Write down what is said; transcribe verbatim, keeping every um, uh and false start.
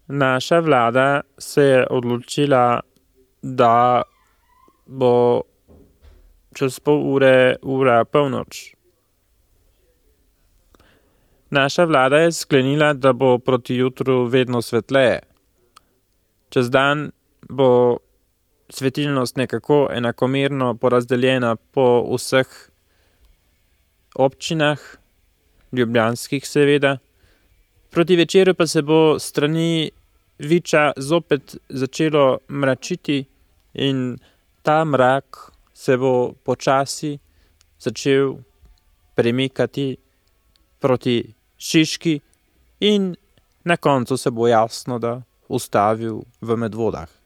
Naša vlada se je odločila, da bo čez pol ure ura polnoč. Naša vlada je sklenila, da bo proti jutru vedno svetleje. Čez dan bo svetilnost nekako enakomerno porazdeljena po vseh občinah, ljubljanskih seveda. Proti večeru pa se bo s strani Viča zopet začelo mračiti in ta mrak se bo počasi začel premikati proti Šiški in na koncu se bo jasno, da ustavil v Medvodah.